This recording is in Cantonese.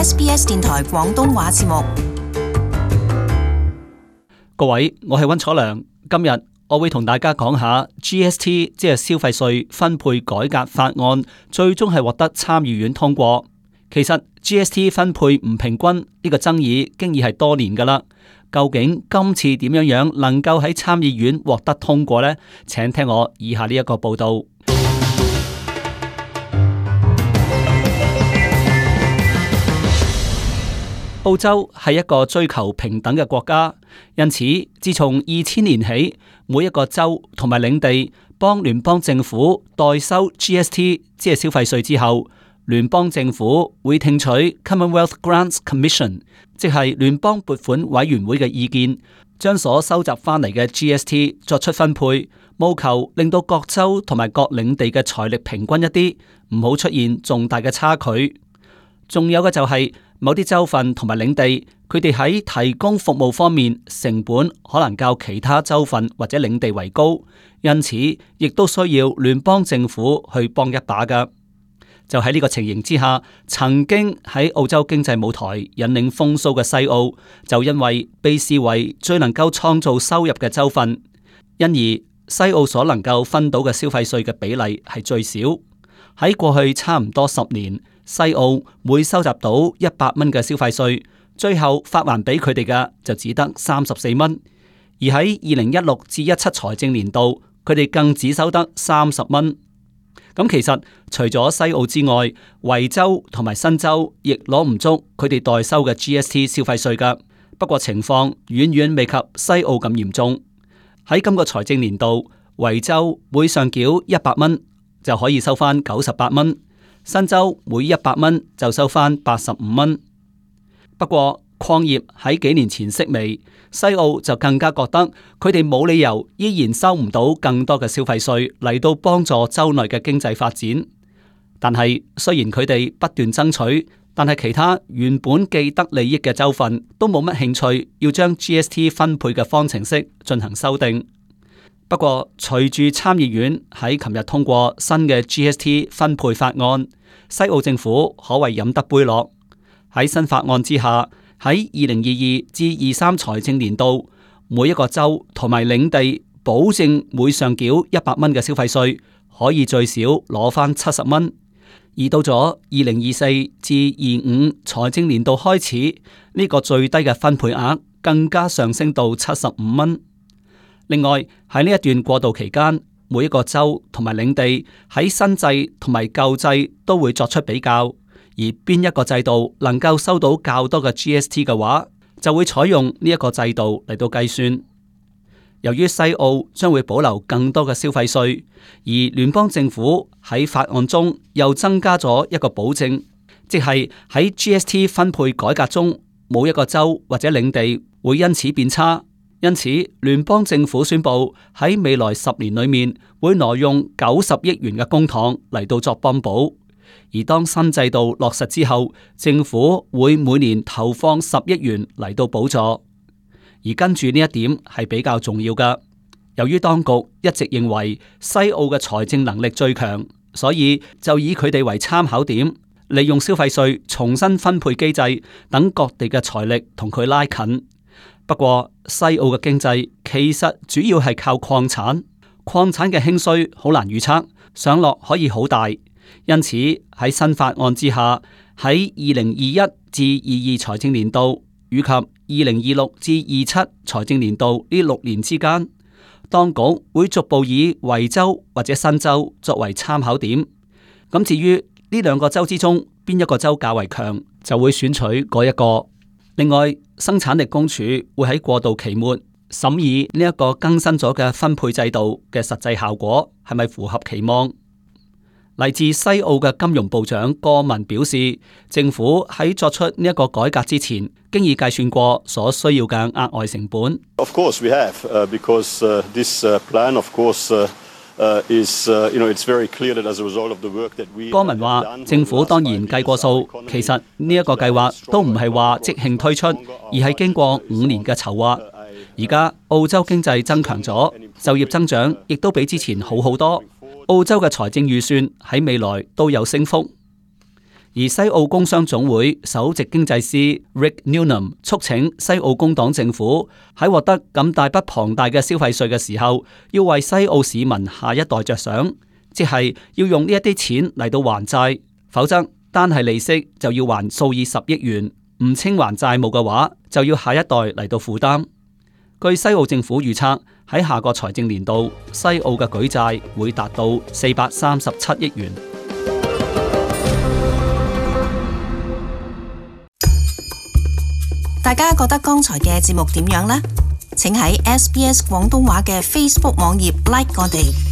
SBS 電台廣東話節目。各位，我係溫楚良，今日我會同大家講下 GST， 即係消費稅分配改革法案，最終係獲得參議院通過。其實 GST 分配唔平均呢個爭議經已係多年噶啦，究竟今次點樣能夠喺參議院獲得通過呢？請聽我以下呢一個報道。澳洲係一個追求平等嘅國家，因此自從2000年起，每一個州同埋領地幫聯邦政府代收 GST， 即係消費稅之後，聯邦政府會聽取 Commonwealth Grants Commission， 即係聯邦撥款委員會嘅意見，將所收集翻嚟嘅 GST 作出分配，務求令到各州同埋各領地嘅財力平均一啲，唔好出現重大嘅差距。仲有嘅就係某啲州份同埋領地，佢哋喺提供服務方面成本可能較其他州份或者領地為高，因此亦都需要聯邦政府去幫一把㗎。就喺呢個情形之下，曾經喺澳洲經濟舞台引領風騷嘅西澳，就因為被視為最能夠創造收入嘅州份，因而西澳所能夠分到嘅消費稅嘅比例係最少。喺過去差唔多10年，西澳每收集到100蚊嘅消費稅，最後發還俾佢哋嘅就只得34蚊，而喺2016至17財政年度，佢哋更只收得30蚊。咁其實除咗西澳之外，維州同埋新州亦攞唔足佢哋代收嘅 GST 消費稅噶。不過情況遠遠未及西澳咁嚴重。喺今個財政年度，維州每上繳100蚊就可以收翻98蚊。新州每100蚊就收翻85蚊。不過礦業喺幾年前式微，西澳就更加覺得佢哋冇理由依然收唔到更多嘅消費稅嚟到幫助州內嘅經濟發展。但係雖然佢哋不斷爭取，但係其他原本既得利益嘅州份都冇乜興趣要將 GST 分配嘅方程式進行修訂。不過，隨住參議院喺琴日通過新嘅 GST 分配法案，西澳政府可謂飲得杯落。喺新法案之下，喺2022至23財政年度，每一個州同埋領地保證每上繳100蚊嘅消費稅，可以最少攞翻70蚊。而到咗2024至25財政年度開始，呢個最低嘅分配額更加上升到75蚊。另外喺呢一段過渡期間，每一個州同埋領地喺新制同埋舊制都會作出比較，而邊一個制度能夠收到較多嘅 GST 嘅話，就會採用呢一個制度嚟到計算。由於西澳將會保留更多嘅消費稅，而聯邦政府喺法案中又增加咗一個保證，即係喺 GST 分配改革中，冇一個州或者領地會因此變差。因此，聯邦政府宣布喺未來10年裏面會挪用90億元嘅公帑嚟到作幫補。而當新制度落實之後，政府會每年投放10億元嚟到補助。而跟住呢一點係比較重要㗎，由於當局一直認為西澳嘅財政能力最強，所以就以佢哋為參考點，利用消費稅重新分配機制，等各地嘅財力同佢拉近。不過西澳嘅經濟其實主要係靠礦產，礦產嘅興衰好難預測，上落可以好大。因此喺新法案之下，喺2021至22財政年度以及2026至27財政年度呢6年之間，當局會逐步以維州或者新州作為參考點。咁至於呢2個州之中邊一個州較為強，就會選取嗰一個。另外，生產力公署會喺過渡期末審議呢一個更新咗嘅分配制度嘅實際效果係咪符合期望。嚟自西澳嘅金融部長戈文表示，政府喺作出呢一個改革之前，經已計算過所需要嘅額外成本。Of course we have, because this plan, of course, is, it's very clear that as a result of the work that we. 戈文話：政府當然計過數，其實呢一個計劃都唔係話即興推出，而係經過5年嘅籌劃。而家澳洲經濟增強咗，就業增長亦都比之前好好多。澳洲嘅財政預算喺未來都有升幅。而西澳工商總會首席經濟師 Rick Newnham 促請西澳工黨政府喺獲得咁大筆龐大嘅消費稅嘅時候，要為西澳市民下一代着想，即係要用呢一啲錢嚟到還債，否則單係利息就要還數以十億元，唔清還債務嘅話，就要下一代嚟到負擔。據西澳政府預測，喺下個財政年度，西澳嘅舉債會達到437億元。大家覺得剛才嘅節目點樣呢？請喺SBS 廣東話嘅 Facebook 網頁 like 我哋。